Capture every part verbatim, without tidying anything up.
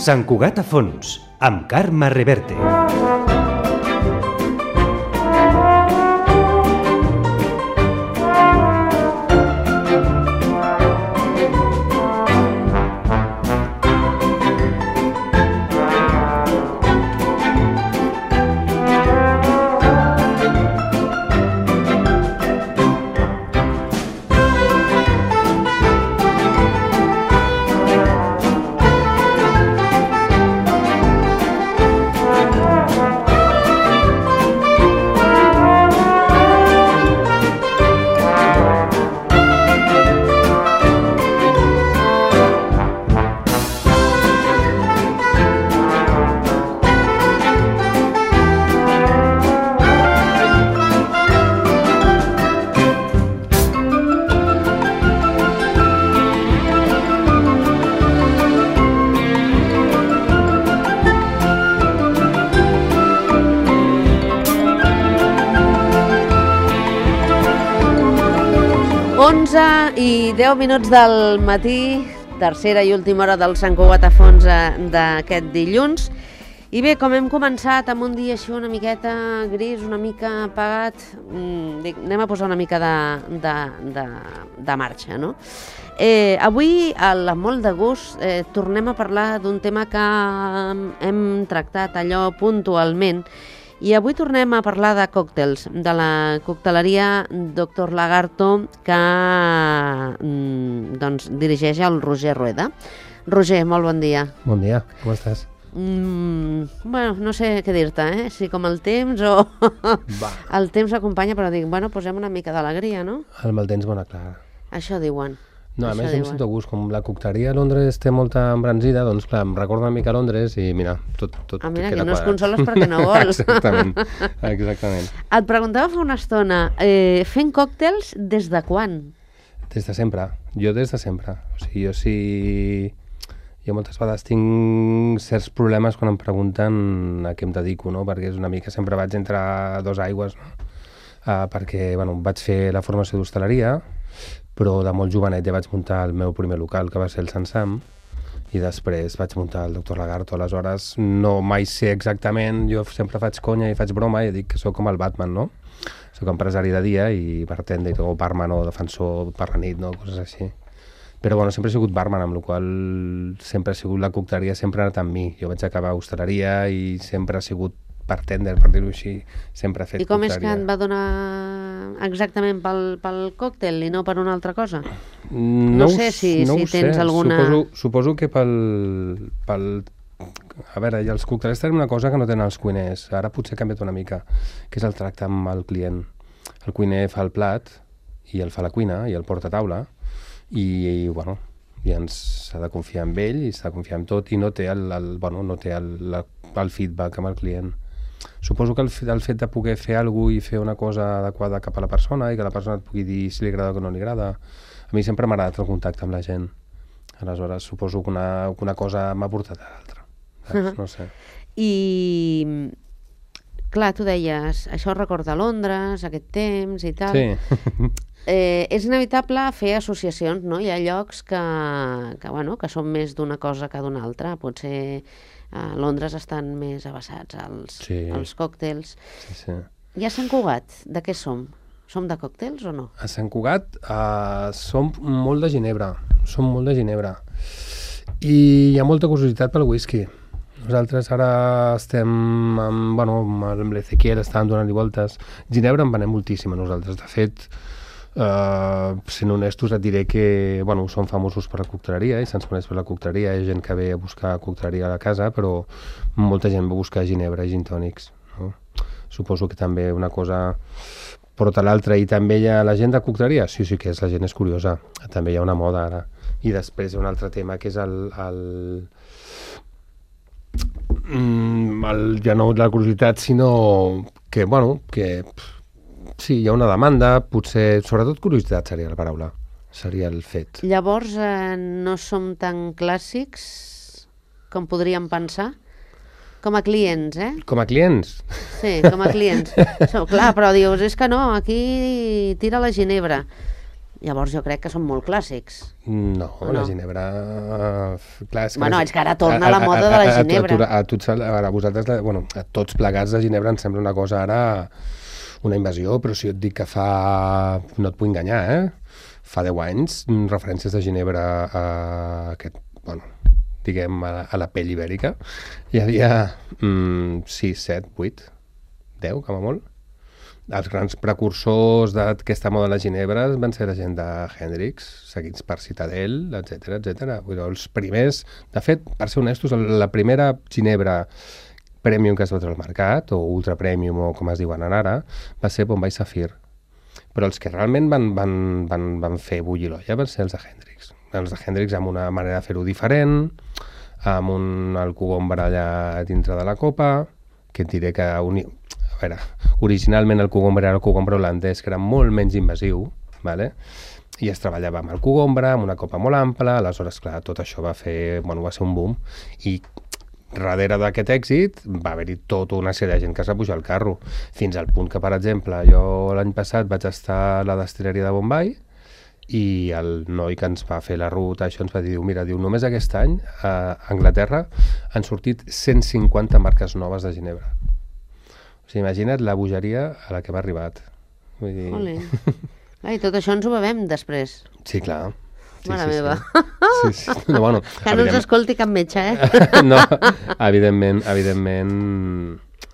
Sant Cugat a fons, amb Carme Reverte. onze i deu minuts del matí, tercera i última hora del Sant Cugat a fons d'aquest dilluns. I bé, com hem començat amb un dia així una miqueta gris, una mica apagat, dic, anem a posar una mica de, de, de, de marxa, no? Eh, avui, amb molt de gust, eh, tornem a parlar d'un tema que hem tractat allò puntualment. I avui tornem a parlar de còctels, de la cocteleria doctor Lagarto, que doncs, dirigeix el Roger Rueda. Roger, molt bon dia. Bon dia, com estàs? Mm, bueno, no sé què dir-te, eh? Si com el temps o... el temps acompanya, però dic, bueno, posem una mica d'alegria, no? El mal temps, bona clara. Això diuen. No, a més em sento a gust, com la cocteleria a Londres té molta embranzida, doncs clar, em recorda una mica a Londres i mira, tot, tot ah, mira, queda que no es quadrat. consoles perquè no vols. Exactament, exactament. Et preguntava fa una estona, eh, fent còctels des de quan? Des de sempre, jo des de sempre. O sigui, jo sí... Jo moltes vegades tinc certs problemes quan em pregunten a què em dedico, no? Perquè és una mica, sempre vaig entre dos aigües, no? Uh, perquè, bueno, vaig fer la formació d'hostaleria, però de molt jovenet ja vaig muntar el meu primer local, que va ser el Sant Sam, i després vaig muntar el doctor Lagarto. Aleshores, no mai sé exactament, jo sempre faig conya i faig broma i dic que sóc com el Batman, no? Sóc empresari de dia i bartender, o barman o defensor per la nit, no? Coses així. Però bueno, sempre he sigut barman, amb la qual sempre ha sigut la cocteleria, sempre ha anat amb mi. Jo vaig acabar a hostaleria i sempre ha sigut bartender, per dir-ho així, sempre ha fet cocteleria. I com cocteleria. és que et va donar exactament pel, pel còctel i no per una altra cosa? No, no sé si, no si ho tens sé. alguna... Suposo, suposo que pel, pel... A veure, els coctelers tenen una cosa que no tenen els cuiners. Ara potser ha canviat una mica, que és el tracte amb el client. El cuiner fa el plat i el fa a la cuina i el porta a taula i, i bueno, i ens s'ha de confiar en ell i s'ha de confiar en tot i no té el, el, bueno, no té el, la, el feedback amb el client. Suposo que el, el fet de poder fer alguna cosa i fer una cosa adequada cap a la persona i que la persona et pugui dir si li agrada o no li agrada. A mi sempre m'ha agradat el contacte amb la gent. Aleshores, suposo que una, que una cosa m'ha portat a l'altra. Uh-huh. No sé. I, clar, tu deies, això recorda Londres, aquest temps i tal. Sí. Eh, és inevitable fer associacions, no? Hi ha llocs que, que, bueno, que són més d'una cosa que d'una altra. Potser a Londres estan més avasats als, sí. als còctels. Sí, sí. I a Sant Cugat, de què som? Som de còctels o no? A Sant Cugat uh, som molt de ginebra. Som molt de ginebra. I hi ha molta curiositat pel whisky. Nosaltres ara estem amb, bueno, amb l'Ezequiel, estàvem donant-hi voltes. Ginebra en venem moltíssim a nosaltres. De fet, Uh, sent honestos et diré que bueno, som famosos per la cocteleria i se'ns coneix per la cocteleria, hi ha gent que ve a buscar cocteleria a la casa, però molta gent va a buscar ginebra i gin tònics, no? Suposo que també una cosa porta l'altra. I també hi ha la gent de cocteleria, sí, sí que és, la gent és curiosa, també hi ha una moda ara. I després hi ha un altre tema que és el, el, el ja no la curiositat, sinó que, bueno, que sí, hi ha una demanda, potser, sobretot curiositat seria la paraula, seria el fet. Llavors, eh, no som tan clàssics com podríem pensar? Com a clients, eh? Com a clients? Sí, com a clients. So, clar, però dius, és que no, aquí tira la ginebra. Llavors jo crec que són molt clàssics. No, no? la ginebra... Clar, és que bueno, la... és que ara torna a, la moda a, a, a, de la ginebra. A, a, a, a, tots, a, vosaltres, bueno, a tots plegats de ginebra ens sembla una cosa ara, una invasió, però si jo et dic que fa... No et puc enganyar, eh? Fa deu anys, referències de ginebra a aquest... Bueno, diguem, a la, a la pell ibèrica, hi havia mm, sis, set, vuit, deu, com a molt. Els grans precursors d'aquesta moda de la ginebra van ser la gent de Hendrix, seguits per Citadel, etcètera, etcètera. Els primers, de fet, per ser honestos, la primera ginebra premium que es va treure al mercat, o ultra premium, o com es diuen ara, va ser Bombay Sapphire. Però els que realment van, van, van, van fer bullir l'olla van ser els de Hendrix. Els de Hendrix amb una manera de fer-ho diferent, amb un el cogombre allà dintre de la copa, que et diré que... Uni... A veure, originalment el cogombre era el cogombre holandès, que era molt menys invasiu, vale? I es treballava amb el cogombre, amb una copa molt ampla, aleshores, clar, tot això va fer, bueno, va ser un boom, i darrere d'aquest èxit va haver-hi tota una sèrie de gent que es va pujar al carro, fins al punt que, per exemple, jo l'any passat vaig estar a la destil·leria de Bombay, i el noi que ens va fer la ruta, això ens va dir, mira, diu, només aquest any a Anglaterra han sortit cent cinquanta marques noves de ginebra. O sigui, imagina't la bogeria a la que hem arribat. Vull dir... Ole. Ai, tot això ens ho bevem després. Sí, clar. Sí, Mare sí, meva. Sí. Sí, sí. No, bueno, que no ens escolti cap metge, eh? No, evidentment, evidentment,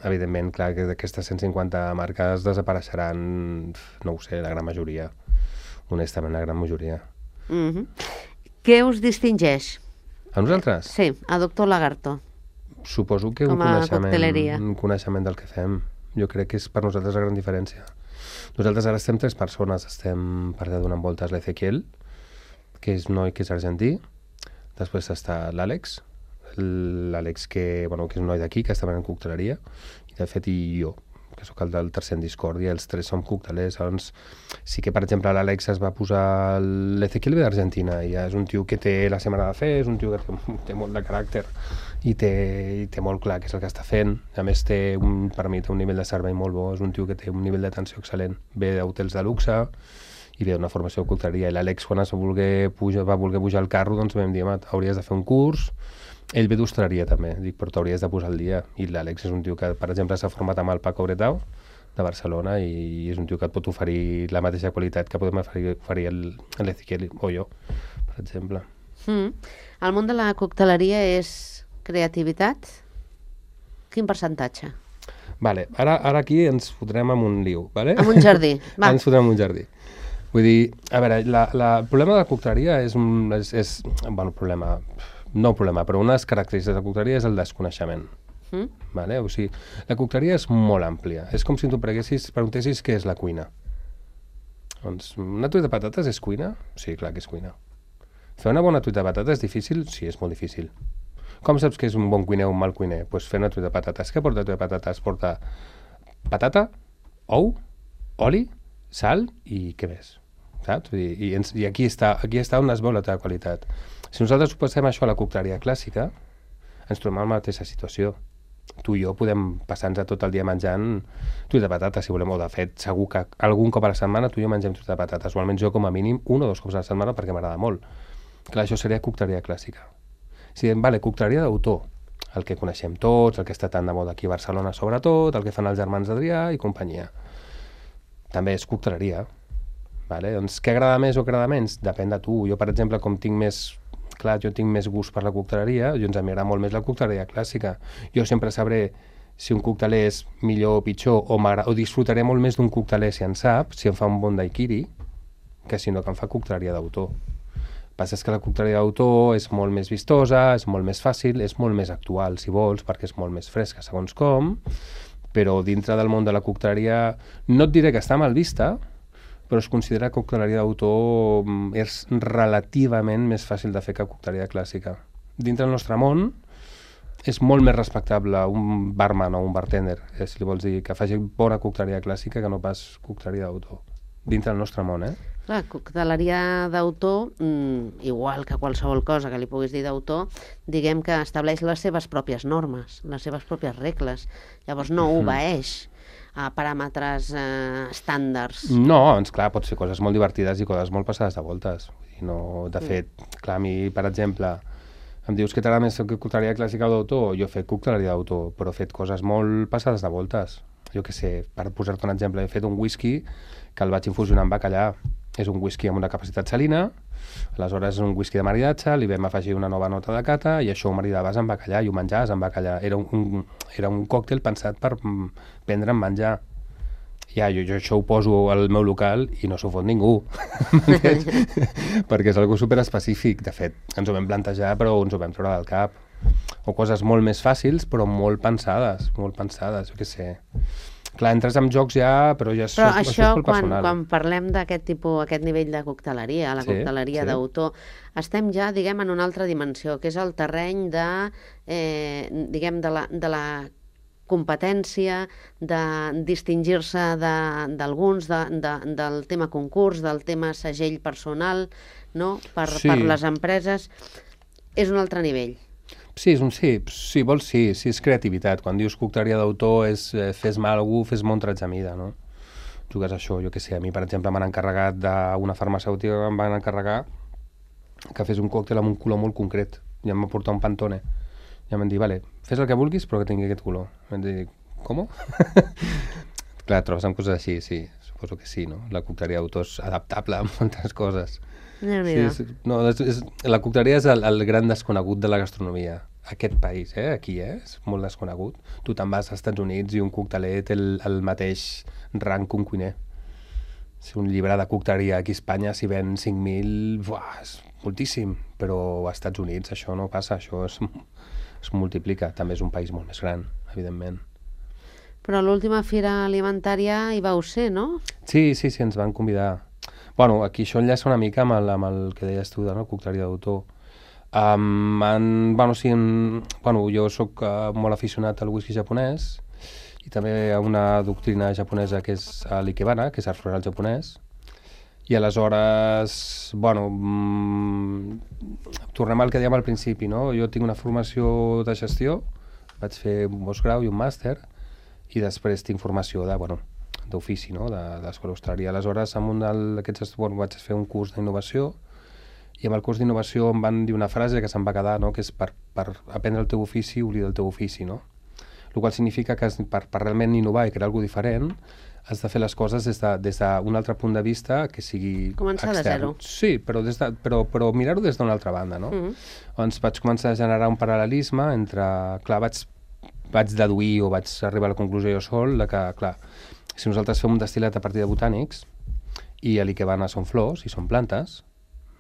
evidentment, clar, que d'aquestes cent cinquanta marques desapareixeran, no ho sé, la gran majoria. Honestament, la gran majoria. Mm-hmm. Què us distingeix? A nosaltres? Sí, a doctor Lagarto. Suposo que un coneixement, un coneixement del que fem. Jo crec que és per nosaltres la gran diferència. Nosaltres ara estem tres persones. Estem per allà donant voltes l'Ezequiel, que és un noi que és argentí. Després està l'Àlex, l'Àlex que, bueno, que és un noi d'aquí, que està en cocteleria, i de fet i jo, que sóc el del tercer en Discòrdia, els tres som coctelers. Llavors, sí que, per exemple, l'Àlex es va posar... L'Ezequiel ve d'Argentina, i és un tio que té la seva manera de fer, és un tio que té, té molt de caràcter, i té, i té molt clar què és el que està fent. A més, té un, per mi té un nivell de servei molt bo, és un tio que té un nivell d'atenció excel·lent. Ve d'hotels de luxe i ve d'una formació de cocteleria. I l'Àlex, quan es va voler pujar, va voler pujar al carro, doncs vam dir, hauries de fer un curs. Ell ve d'hostaleria també, dic, però t'hauries de posar al dia. I l'Àlex és un tio que, per exemple, s'ha format amb el Paco Bretau de Barcelona, i és un tio que et pot oferir la mateixa qualitat que podem oferir, oferir l'Ezequiel o jo, per exemple. Mm. El món de la cocteleria és creativitat? Quin percentatge? Vale, ara, ara aquí ens fotrem en un liu, vale? En un jardí, va. Ens fotrem en un jardí. Vull dir, a veure, la, la, el problema de la cocteleria és un... És, és, bueno, problema... No problema, però una de les característiques de la cocteleria és el desconeixement. Mm? Vale? O sigui, la cocteleria és molt àmplia. És com si tu preguntessis què és la cuina. Doncs, una truita de patates és cuina? Sí, clar que és cuina. Fer una bona truita de patates és difícil? Sí, és molt difícil. Com saps que és un bon cuiner o un mal cuiner? Doncs pues fer una truita de patates. Què porta la truita de patates? Porta patata, ou, oli, sal i què més? Saps? I, i, i aquí, està, aquí està on es veu la teva qualitat. Si nosaltres ho passem això a la cocteleria clàssica, ens trobem en la mateixa situació. Tu i jo podem passar-nos tot el dia menjant truita de patates, si volem, o de fet, segur que algun cop a la setmana tu i jo mengem truita de patates, o almenys jo com a mínim un o dos cops a la setmana perquè m'agrada molt. Clar, això seria cocteleria clàssica. Si diem, vale, cocteleria d'autor, el que coneixem tots, el que està tan de moda aquí a Barcelona sobretot, el que fan els germans Adrià i companyia. També és cocteleria. Vale? Doncs què agrada més o agrada menys? Depèn de tu. Jo, per exemple, com tinc més... Clar, jo tinc més gust per la cocteleria, jo ens m'agrada molt més la cocteleria clàssica. Jo sempre sabré si un cocteler és millor o pitjor, o, o disfrutaré molt més d'un cocteler si en sap, si em fa un bon daiquiri, que si no que em fa cocteleria d'autor. El que passa és que la cocteleria d'autor és molt més vistosa, és molt més fàcil, és molt més actual, si vols, perquè és molt més fresca, segons com, però dintre del món de la cocteleria no et diré que està mal vista, però es considera que cocteleria d'autor és relativament més fàcil de fer que cocteleria clàssica. Dintre del nostre món és molt més respectable un barman o un bartender, eh, si li vols dir, que faci bona cocteleria clàssica que no pas cocteleria d'autor. Dintre del nostre món, eh? Clar, cocteleria d'autor, mm, igual que qualsevol cosa que li puguis dir d'autor, diguem que estableix les seves pròpies normes, les seves pròpies regles. Llavors no obeeix a paràmetres eh, estàndards. No, doncs clar, pots fer coses molt divertides i coses molt passades de voltes. I no, de fet, clar, a mi, per exemple, em dius que t'agrada més cocteleria clàssica o d'autor? Jo he fet cocteleria d'autor, però he fet coses molt passades de voltes. Jo què sé, per posar-te un exemple, he fet un whisky que el vaig infusionar amb bacallà. És un whisky amb una capacitat salina, aleshores és un whisky de maridatge, li vam afegir una nova nota de cata i això ho maridaves amb bacallà i ho menjaves amb bacallà. Era un, un, era un còctel pensat per prendre amb menjar. Ja, jo, jo això ho poso al meu local i no s'ho fot ningú, perquè és algo superespecífic. De fet, ens ho vam plantejar però ens ho vam treure del cap. O coses molt més fàcils però molt pensades, molt pensades, jo què sé. Clar, entres amb jocs ja, però ja però això, això, això és molt quan, personal. quan parlem d'aquest tipus, aquest nivell de cocteleria, la Sí, cocteleria sí. d'autor, estem ja, diguem, en una altra dimensió, que és el terreny de, eh, diguem, de la, de la competència, de distingir-se de- d'alguns, de, de, del tema concurs, del tema segell personal, no? Per, Sí. per les empreses. És un altre nivell. Sí, és un sí, si vols sí, sí és creativitat. Quan dius cocteleria d'autor és eh, fes-me algú, fes-me un tretze a mida, no? Jugues a això, jo què sé, a mi per exemple m'han encarregat d'una farmacèutica que em van encarregar que fes un còctel amb un color molt concret i em va portar un Pantone i em van dir, vale, fes el que vulguis però que tingui aquest color. Em van dir, com? Clar, trobes amb coses així, sí, suposo que sí, no? La cocteleria d'autor és adaptable a moltes coses. Sí, és, no, és, és, la cocteleria és el, el gran desconegut de la gastronomia. Aquest país, eh? Aquí eh? És molt desconegut. Tu te'n vas als Estats Units i un cocteler té el, el mateix rang que un cuiner. Si un llibre de cocteleria aquí a Espanya s'hi ven cinc mil, buah, és moltíssim. Però als Estats Units això no passa, això es, es multiplica. També és un país molt més gran, evidentment. Però l'última fira alimentària hi vau ser, no? Sí, sí, sí, ens van convidar. Bueno, aquí això enllaça una mica amb el, amb el que deies tu de no? Cocteleria d'autor. Um, en, bueno, sí, en, bueno, jo sóc uh, molt aficionat al whisky japonès i també a una doctrina japonesa que és uh, l'ikebana, que és art floral japonès. I aleshores, bueno, mm, tornem al que dèiem al principi, no? Jo tinc una formació de gestió, vaig fer un postgrau i un màster, i després tinc formació de, bueno, d'ofici, no? de, d'escola d'hostaleria. Aleshores, amb un d'aquests, bueno, vaig fer un curs d'innovació i amb el curs d'innovació em van dir una frase que se'm va quedar, no? Que és per, per aprendre el teu ofici, oblida el teu ofici, no? El qual significa que per, per realment innovar i crear alguna cosa diferent has de fer les coses des d'un de, altre punt de vista que sigui Començar de extern. zero. Sí, però, des de, però, però mirar-ho des d'una altra banda, no? Mhm. Doncs vaig començar a generar un paral·lelisme entre... Clar, vaig, vaig deduir o vaig arribar a la conclusió jo sol de que, clar, si nosaltres fem un destil·lat a partir de botànics i l'ikebana són flors i són plantes,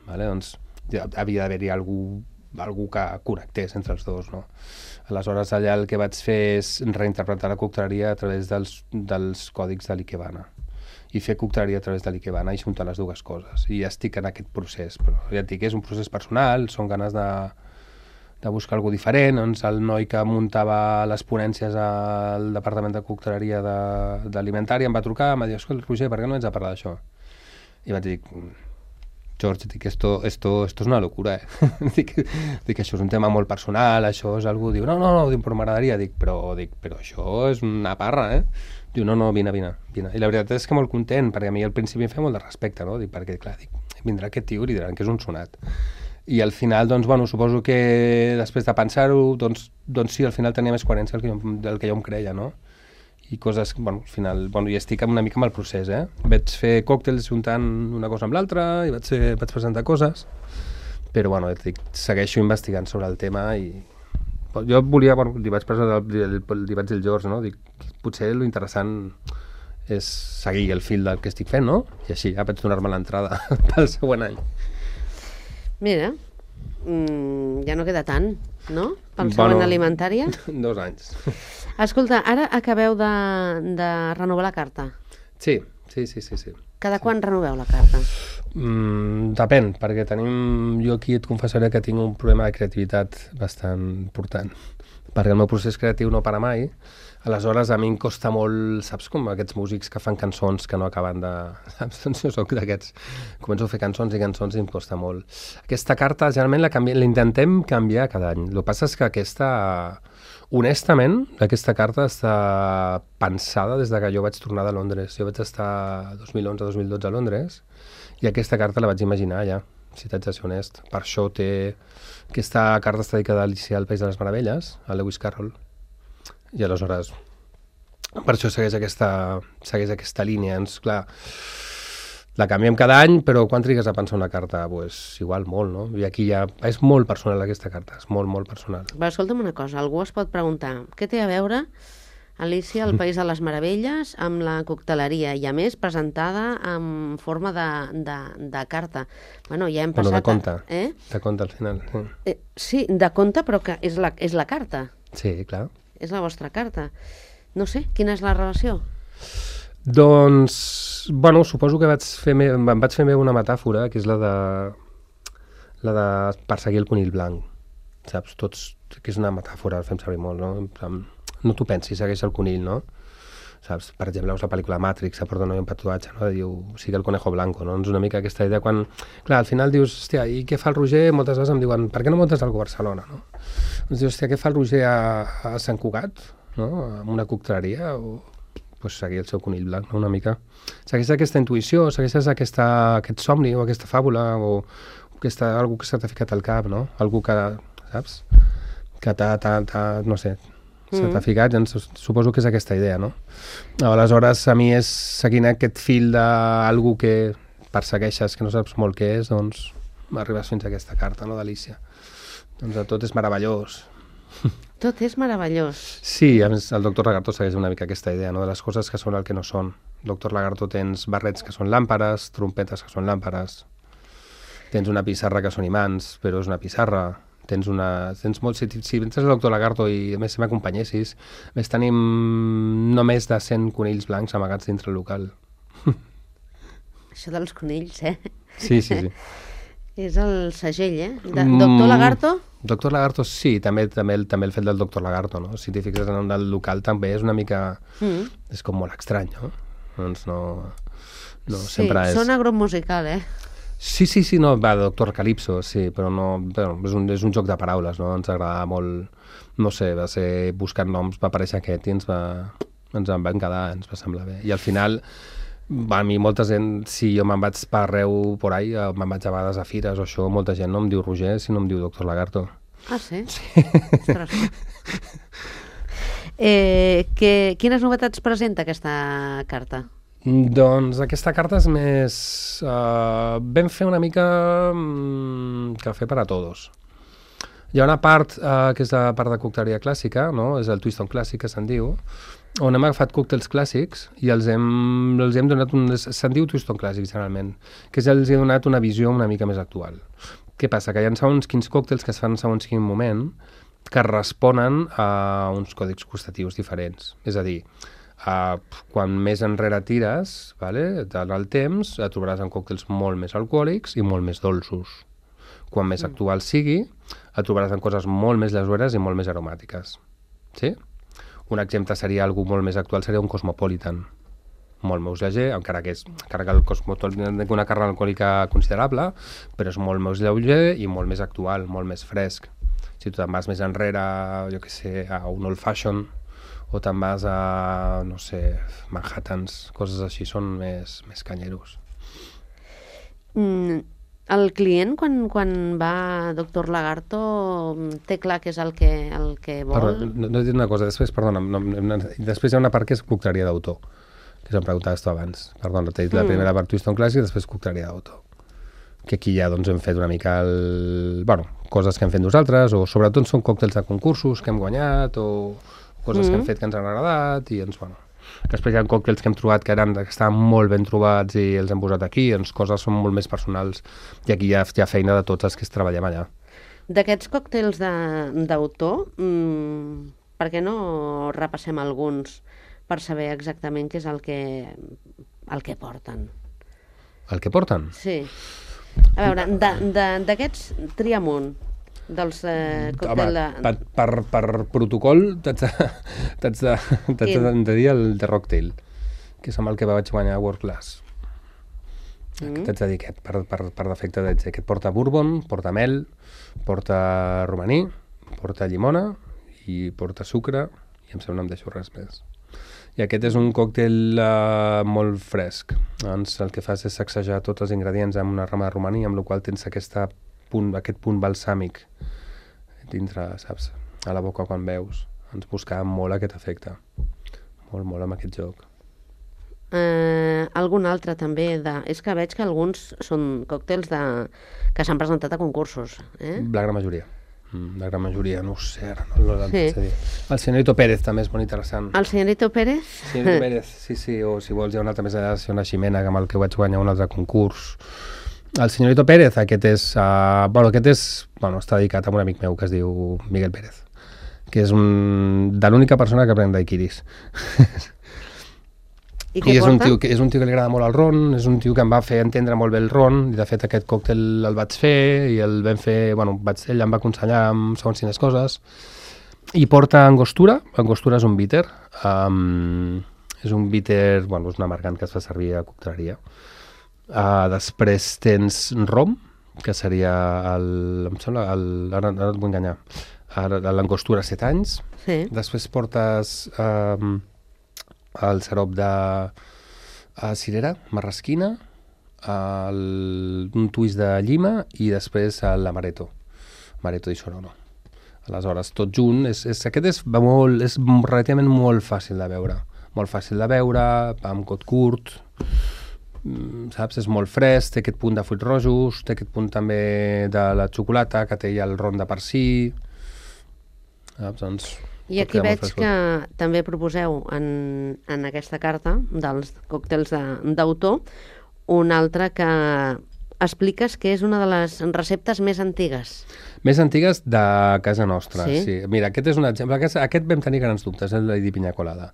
vale? Doncs ja havia d'haver-hi algú, algú que connectés entre els dos, no? Aleshores, allà el que vaig fer és reinterpretar la cocteleria a través dels, dels còdics de l'ikebana i fer cocteleria a través de l'ikebana i juntar les dues coses. I ja estic en aquest procés, però ja et dic, és un procés personal, són ganes de, de buscar alguna cosa diferent. Doncs el noi que muntava les ponències al departament de cocteleria de, d'alimentària em va trucar, em va dir, escolta, Roger, per què no ets a parlar d'això? I vaig dir, George, dic, esto, esto, esto és una locura, eh? dic, dic, això és un tema molt personal, això és algú, diu, no, no, no, dic, però m'agradaria, dic, però, dic, però això és una parra, eh? Diu, no, no, vine, vine, vine. I la veritat és que molt content, perquè a mi al principi em feia molt de respecte, no? Dic, perquè, clar, dic, vindrà aquest tio i diran que és un sonat. I al final, doncs, bueno, suposo que després de pensar-ho, doncs, doncs sí, al final tenia més coherència del que jo, del que jo em creia, no? I coses, bueno, al final, bueno, ja estic una mica amb el procés, eh? Vaig fer còctels juntant una cosa amb l'altra i vaig, fer, vaig presentar coses, però, bueno, dic, segueixo investigant sobre el tema i jo volia, bueno, li vaig presentar, li, li vaig dir al George, no? Dic, potser l'interessant és seguir el fil del que estic fent, no? I així ja vaig donar-me l'entrada pel següent any. Mira, mm, ja no queda tant, no? Pel següent Bueno, alimentària. Dos anys. Escolta, ara acabeu de, de renovar la carta. Sí, sí, sí, sí, sí. Cada quan renoveu la carta? Mm, depèn, perquè tenim... Jo aquí et confessaré que tinc un problema de creativitat bastant important, perquè el meu procés creatiu no para mai. Aleshores, a mi em costa molt, saps, com aquests músics que fan cançons que no acaben de... Saps? Doncs jo soc d'aquests. Començo a fer cançons i cançons i em costa molt. Aquesta carta, generalment, la canvi... l'intentem canviar cada any. El que passa és que aquesta... Honestament, aquesta carta està pensada des de que jo vaig tornar de Londres. Jo vaig estar dos mil onze dos mil dotze a Londres i aquesta carta la vaig imaginar allà, si t'haig de ser honest. Per això té... Aquesta carta està dedicada a Alicia al País de les Meravelles, a Lewis Carroll. I aleshores, per això segueix aquesta, segueix aquesta línia. Ens, clar, la canviem cada any, però quan trigues a pensar una carta? Pues, igual molt, no? I aquí ja és molt personal aquesta carta, és molt, molt personal. Va, escolta'm una cosa, algú es pot preguntar què té a veure Alicia al País de les Meravelles amb la cocteleria i a més presentada en forma de, de, de carta. Bueno, ja hem passat... Bueno, de conte, a, eh? de conte al final. Sí, eh, sí de conte, però que és la, és la carta. sí clar. És la vostra carta. No sé, quina és la relació? Doncs, bueno, suposo que vaig fer me, em vaig fer meva una metàfora, que és la de, la de perseguir el conill blanc. Saps? Tots, que és una metàfora, fem servir molt, no? No t'ho pensis, segueix el conill, no? Saps? Per exemple, veus la pel·lícula Matrix, a porta no hi ha un tatuatge, no? Diu, sigue el conejo blanco, no? És una mica aquesta idea quan... Clar, al final dius, hòstia, i què fa el Roger? Moltes vegades em diuen, per què no muntes alguna cosa a Barcelona, no? Doncs dius, hòstia, què fa el Roger a, a Sant Cugat, no? En una cocteleria, o... pues seguir el seu conill blanc, no? Una mica. Segueixes aquesta intuïció, segueixes aquesta, aquest somni, o aquesta fàbula, o aquesta, algú que s'ha ficat al cap, no? Algú que, saps? Que t'ha, no sé... Se t'ha ficat, doncs suposo que és aquesta idea, no? Aleshores, a mi és seguint aquest fil d'algú que persegueixes, que no saps molt què és, doncs arribes fins a aquesta carta, no, d'Alicia. Doncs tot és meravellós. Tot és meravellós. Sí, a més, el doctor Lagarto segueix una mica aquesta idea, no?, de les coses que són el que no són. El doctor Lagarto tens barrets que són làmperes, trompetes que són làmperes, tens una pissarra que són imants, però és una pissarra. Tens una... Tens molt, si, si entres al doctor Lagarto i a més si m'acompanyessis, a més tenim no més de cent conills blancs amagats dintre el local. Això dels conills, eh? Sí, sí, sí. És el segell, eh? De, doctor Lagarto? Mm, doctor Lagarto, sí, també, també, també el fet del doctor Lagarto, no? Si t'hi fixes en el local també és una mica... Mm. És com molt estrany, no? Doncs no... no sí, sempre és... sona grup musical, eh? Sí, sí, sí, no, va, Doctor Calypso, sí, però no, bueno, és, un, és un joc de paraules, no? Ens agradava molt, no sé, va ser buscant noms, va aparèixer aquest i ens va, ens en van quedar, ens va semblar bé. I al final, a mi molta gent, si jo me'n vaig per arreu por ahí, me'n vaig a vegades a fires o això, molta gent no em diu Roger, sinó em diu Doctor Lagarto. Ah, sí? Sí. Ostres. eh, que, quines novetats presenta aquesta carta? Doncs aquesta carta és més... Uh, vam fer una mica um, cafè per a tots. Hi ha una part uh, que és la part de cocteleria clàssica, no? És el twist on clàssic, que se'n diu, on hem agafat còctels clàssics i els hem, els hem donat un... Se'n diu twist on clàssic, generalment, que és els he donat una visió una mica més actual. Què passa? Que hi ha segons quins còctels que es fan segons quin moment que responen a uns còdics gustatius diferents. És a dir, Uh, quan més enrere tires, vale, en el temps, et trobaràs en còctels molt més alcohòlics i molt més dolços. Quan més mm. actual sigui, et trobaràs en coses molt més lleugeres i molt més aromàtiques. Sí? Un exemple seria algú molt més actual, seria un Cosmopolitan. Molt més lleuger, encara que, és, encara que el Cosmopolitan té una càrrega alcohòlica considerable, però és molt més lleuger i molt més actual, molt més fresc. Si tu te'n vas més enrere, jo què sé, a un Old Fashion, o te'n vas a, no sé, Manhattans, coses així, són més, més canyeros. Mm, el client, quan, quan va a Doctor Lagarto, té clar què és el que, el que vol? Perdó, no, no he dit una cosa, després, perdona, no, no, després hi ha una part que és cocteleria d'autor, que em preguntaves tu abans. Perdona, t'he dit mm. la primera part Twist on Clàssic i després cocteleria d'autor. Que aquí ja doncs, hem fet una mica el... bueno, coses que hem fet nosaltres, o sobretot són còctels de concursos que hem guanyat, o coses mm. que hem fet que ens han agradat, i ens, bueno... Després hi ha còctels que hem trobat que, eren, que estaven molt ben trobats i els hem posat aquí, doncs coses són molt més personals, i aquí hi ha, hi ha feina de tots els que treballem allà. D'aquests còctels d'autor, mmm, per què no repassem alguns per saber exactament què és el que, el que porten? El que porten? Sí. A veure, d'aquests tria'm un. dels eh, còctels de... Per, per, per protocol t'haig de, t'haig de, t'haig de, de dir el de Rocktail, que és amb el que vaig guanyar World Class. Mm. T'haig de dir aquest, per, per, per defecte d'haig de dir. Aquest porta bourbon, porta mel, porta romaní, porta llimona i porta sucre, i em sembla no em deixo res més. I aquest és un còctel uh, molt fresc. Doncs el que fas és sacsejar tots els ingredients amb una rama de romaní, amb la qual tens aquesta punt, aquest punt balsàmic dintre, saps, a la boca quan beus. Ens buscàvem molt aquest efecte. Molt, molt amb aquest joc. Eh, algun altre també de... És que veig que alguns són còctels de... que s'han presentat a concursos. Eh? La gran majoria. La gran majoria, no ho sé, ara no, no sí. Dir. El senyorito Pérez també és molt interessant. El senyorito Pérez? El senyorito Pérez, sí, sí, o si vols hi ha un altre més allà, una ximena amb el que vaig guanyar un altre concurs. El senyorito Pérez, aquest és, uh, bueno, aquest és, bueno, està dedicat a un amic meu que es diu Miguel Pérez, que és un, de l'única persona que pren daiquiris. I què I és porta? un, tio que, és un tio que li agrada molt el ron, és un tio que em va fer entendre molt bé el ron, i de fet aquest còctel el vaig fer, i el vam fer, bueno, vaig, ell em va aconsellar amb segons quines coses, i porta angostura, angostura és un bitter, um, és un bitter, bueno, és un amargant que es fa servir a cocteleria. Uh, després tens rom, que seria el, em sembla, el, ara, ara et vull enganyar, l'angostura set anys, sí. Després portes... Um, el sirop de uh, cirera, marrasquina, el, un twist de llima i després l'amaretto, amaretto di Sonoro. Aleshores, tot junt, és, és, aquest és, va molt, és relativament molt fàcil de veure, molt fàcil de veure, va amb cot curt, saps? És molt fresc, té aquest punt de fruits rojos, té aquest punt també de la xocolata, que té ja el ron de per si, saps? Doncs... I aquí veig que també proposeu en, en aquesta carta dels còctels d'autor un altre que expliques que és una de les receptes més antigues. Més antigues de casa nostra, sí. sí. Mira, aquest és un exemple. Aquest, aquest vam tenir grans dubtes, el Lady Piña Colada.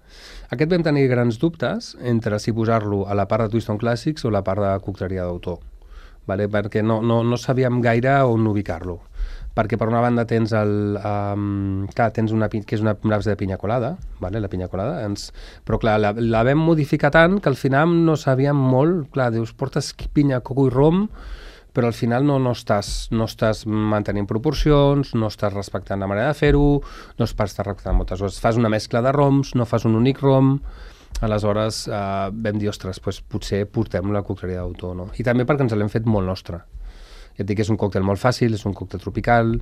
Aquest vam tenir grans dubtes entre si posar-lo a la part de Twiston Classics o la part de cocteleria d'autor, vale? Perquè no, no, no sabíem gaire on ubicar-lo. Perquè per una banda tens el... Um, clar, tens una, que és una base de pinya colada, vale? La pinya colada, ens, però clar, la, la vam modificar tant que al final no sabíem molt, clar, dius, portes pinya, coco i rom, però al final no, no, estàs, no estàs mantenint proporcions, no estàs respectant la manera de fer-ho, no estàs respectant moltes coses. Fas una mescla de roms, no fas un únic rom, aleshores uh, vam dir, ostres, pues, potser portem la cocteleria d'autor, no? I també perquè ens l'hem fet molt nostra. Ja et dic que és un còctel molt fàcil, és un còctel tropical,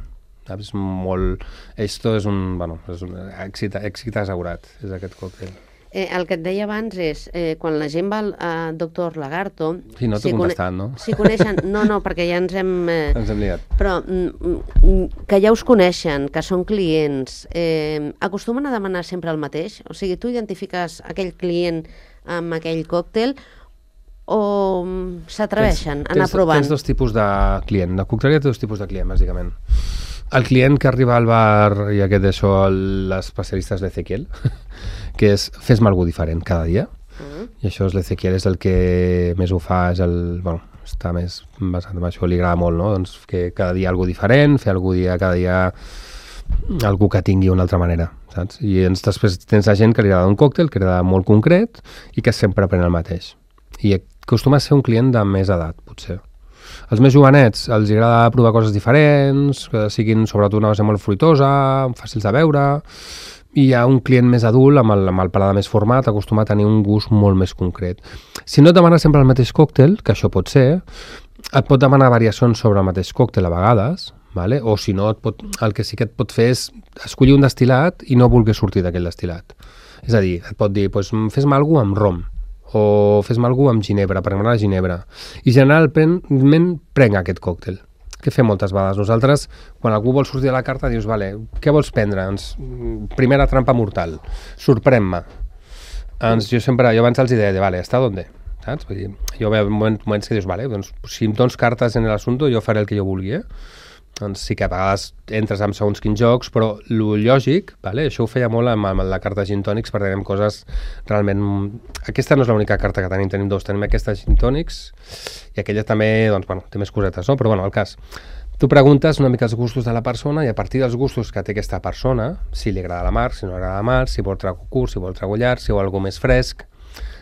és molt... Esto és un... Bueno, és un èxit, èxit assegurat, és aquest còctel. Eh, el que et deia abans és, eh, quan la gent va al uh, doctor Lagarto... Sí, no t'ho si contestant, no? Si coneixen... No, no, perquè ja ens hem... Eh, ens hem liat. Però mm, que ja us coneixen, que són clients, eh, acostumen a demanar sempre el mateix? O sigui, tu identifiques aquell client amb aquell còctel o s'atreveixen a anar provant? Tens dos tipus de client. La cocteleria té dos tipus de client, bàsicament. El client que arriba al bar, i aquest d'això, l'especialista és l'Ezequiel, que és fes-me alguna diferent cada dia. Uh-huh. I això és l'Ezequiel, és el que més ho fa, és el... Bueno, està més basat en això, li agrada molt, no? Doncs que cada dia alguna diferent, fer alguna dia, cada dia algú que tingui una altra manera, saps? I ens, després tens la gent que li agrada un còctel, que li agrada molt concret i que sempre pren el mateix. I acostuma a ser un client de més edat, potser. Els més jovenets els agrada provar coses diferents, que siguin sobretot una base molt fruitosa, fàcils de veure, i hi ha un client més adult, amb el, amb el paladar més format, acostuma a tenir un gust molt més concret. Si no et demana sempre el mateix còctel, que això pot ser, et pot demanar variacions sobre el mateix còctel a vegades, vale? O si no, et pot, el que sí que et pot fer és escollir un destil·lat i no voler sortir d'aquell destil·lat. És a dir, et pot dir, pues, fes-me alguna amb rom, o fes-me alguna amb ginebra, perquè m'agrada ginebra. I generalment prenc aquest còctel, que fem moltes vegades. Nosaltres, quan algú vol sortir de la carta, dius, vale, què vols prendre? Ens, primera trampa mortal, sorprèn-me. Ens, jo sempre, jo abans els deia, vale, ¿hasta dónde? Saps? Vull dir, jo veig moments que dius, vale, doncs, si em dones cartes en l'assumpte, jo faré el que jo vulgui, eh? Doncs sí que a vegades entres amb segons quins jocs, però lo lògic, vale? Això ho feia molt amb, amb la carta Gin Tònics, perquè tenim coses realment... Aquesta no és l'única carta que tenim, tenim dos, tenim aquesta Gin Tònics, i aquella també, doncs, bueno, té més cosetes, no? Però bueno, el cas, tu preguntes una mica els gustos de la persona i a partir dels gustos que té aquesta persona, si li agrada la mar, si no li agrada la mar, si vol trago curt, si vol trago llarg, si vol alguna més fresc,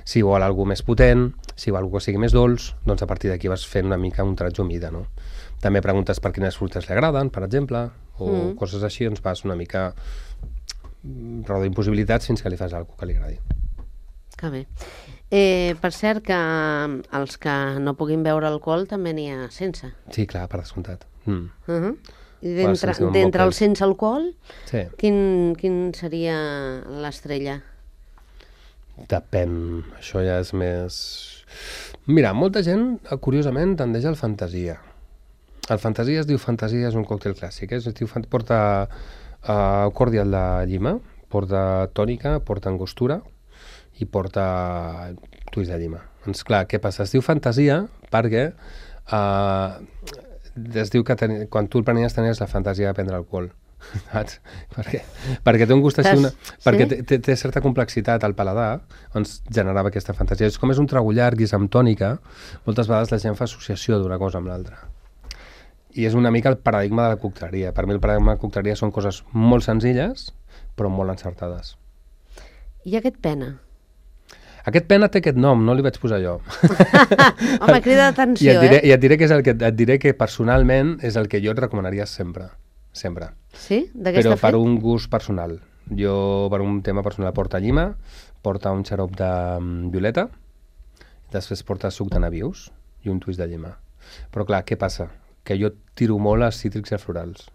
si vol alguna més potent, si vol alguna que sigui més dolç, doncs a partir d'aquí vas fent una mica un tratge humida, no? També preguntes per quines fruites li agraden, per exemple, o mm. coses així, doncs vas una mica reduint possibilitats fins que li fas alguna que li agradi. Que bé. Eh, per cert, que els que no puguin beure alcohol també n'hi ha sense. Sí, clar, per descomptat. Mm. Uh -huh. I d'entre d'entre el sense alcohol, sí. quin, quin seria l'estrella? Depèn, això ja és més... Mira, molta gent, curiosament, tendeix al fantasia. El fantasia es diu fantasia, és un còctel clàssic, eh? Es diu, porta uh, cordial de llima, porta tònica, porta angostura i porta tuis de llima. Doncs clar, què passa? Es diu fantasia perquè uh, es diu que ten... quan tu el prenies tenies la fantasia de prendre alcohol. Saps? perquè, perquè té un gust així, una... sí? perquè té, té, té certa complexitat al paladar, doncs generava aquesta fantasia. És com és un trago llarg i és amb tònica, moltes vegades la gent fa associació d'una cosa amb l'altra. I és una mica el paradigma de la cocteleria. Per mi el paradigma de la cocteleria són coses molt senzilles, però molt encertades. I aquest pena? Aquest pena té aquest nom, no li vaig posar jo. Home, crida d'atenció, I et diré, eh? I et diré, que és el que, et diré que personalment és el que jo et recomanaria sempre. Sempre. Sí? De què està fet? Però per un gust personal. Jo, per un tema personal, porta llima, porta un xarop de um, violeta, després porta suc de nabius i un twist de llima. Però clar, què passa? Que jo tiro molt a cítrics i a florals.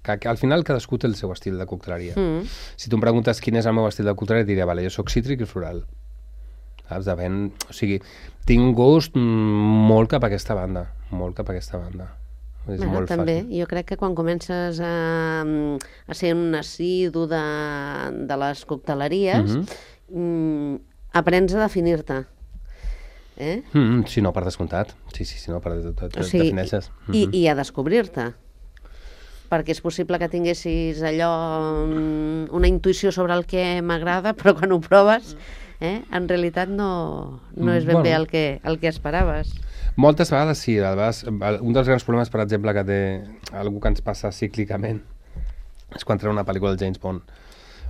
Que, que al final cadascú té el seu estil de cocteleria. Mm. Si tu em preguntes quin és el meu estil de cocteleria, diré, vale, jo soc cítric i floral. Saps? Depèn, o sigui, tinc un gust molt cap a aquesta banda, molt cap a aquesta banda. És bueno, molt també, fàcil. Jo crec que quan comences a, a ser un assidu de, de les cocteleries, mm-hmm. mm, aprens a definir-te. Eh? Mm, sí, no, per descomptat. Sí, sí, sí, no, per de, de, de, o sigui, defineixes. Mm-hmm. I, I a descobrir-te. Perquè és possible que tinguessis allò, una intuïció sobre el que m'agrada, però quan ho proves, eh, en realitat no, no és ben bueno. bé el que, el que esperaves. Moltes vegades sí. A vegades, un dels grans problemes, per exemple, que té algú que ens passa cíclicament és quan treu una pel·lícula del James Bond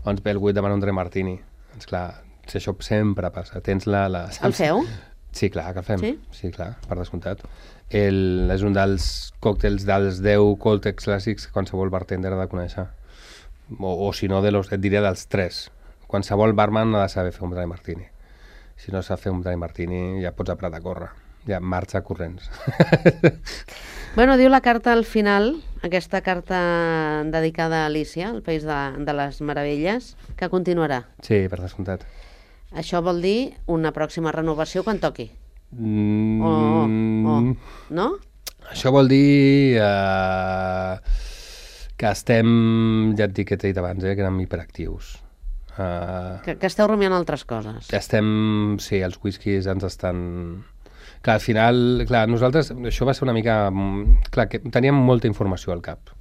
on ens ve algú i demana un Dre Martini. Doncs clar, si això sempre passa. Tens la... la el feu? Sí, clar, que el fem. Sí? Sí, clar, per descomptat. El, és un dels còctels dels deu còctels clàssics que qualsevol bartender ha de conèixer. O, o si no, de los, et diria dels tres. Qualsevol barman ha de saber fer un Dry Martini. Si no sap fer un Dry Martini, ja pots apretar a córrer. Ja marxa corrents. Bueno, diu la carta al final, aquesta carta dedicada a Alícia, el País de, de les Meravelles, que continuarà. Sí, per descomptat. Això vol dir una pròxima renovació quan toqui. Mm, o, o, no? Això vol dir uh, que estem, ja et dic que t'he dit abans, eh, que érem hiperactius. Uh, que, que esteu rumiant altres coses. Estem, sí, els whiskies ens estan... Clar, al final, clar, nosaltres, això va ser una mica... Clar, que teníem molta informació al cap.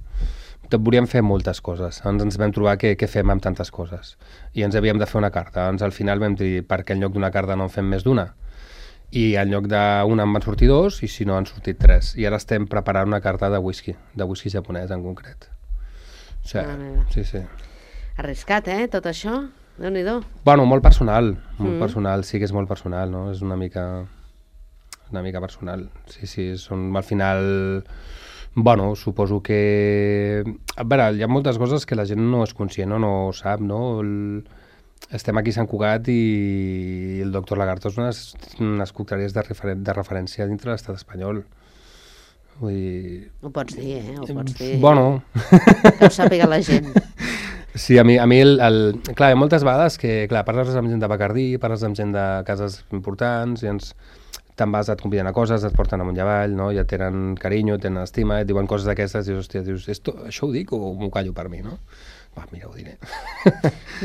Volíem fer moltes coses. Ens, ens vam trobar que, que fem amb tantes coses. I ens havíem de fer una carta. Ens, al final vam dir, perquè en lloc d'una carta no en fem més d'una. I en lloc d'una en van sortir dos, i si no han sortit tres. I ara estem preparant una carta de whisky, de whisky japonès en concret. O sigui, ah, sí, sí. Arriscat, eh, tot això? Déu-n'hi-do. Bueno, molt personal. Molt Mm. personal, sí que és molt personal, no? És una mica... una mica personal. Sí, sí, són al final... Bueno, suposo que... A veure, hi ha moltes coses que la gent no és conscient o no sap, no? El... Estem aquí a Sant Cugat i el doctor Lagarto és unes, unes cocteleries de, referen de referència dintre de l'estat espanyol. Vull dir... Ho pots dir, eh? Ho pots dir. Bueno... Que ho sàpiga la gent. Sí, a mi, a mi el, el... Clar, hi ha moltes vegades que, clar, parles amb gent de Bacardí, parles amb gent de cases importants i ens... te'n vas, et conviden a coses, et porten amunt i avall, no? Ja tenen carinyo, tenen estima, et diuen coses d'aquestes i dius, hòstia, dius, esto, això ho dic o m'ho callo per mi, no? Va, mira, ho diré.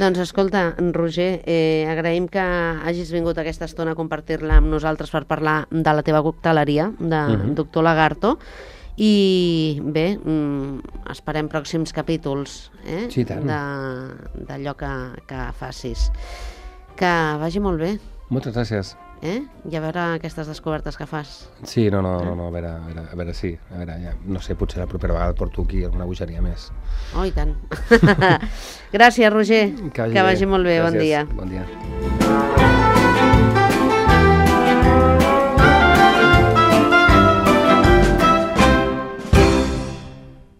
Doncs escolta, Roger, eh, agraïm que hagis vingut aquesta estona a compartir-la amb nosaltres per parlar de la teva cocteleria, de uh-huh. doctor Lagarto, i bé, mm, esperem pròxims capítols eh? Sí, tant. de, d'allò que, que facis. Que vagi molt bé. Moltes gràcies. eh? I a veure aquestes descobertes que fas. Sí, no, no, no, no a, veure, a, veure, a veure, sí, a veure, ja, no sé, potser la propera vegada et porto aquí alguna bogeria més. Oh, i tant. Gràcies, Roger. Que vagi, que vagi molt bé, Gràcies. Bon dia. Bon dia.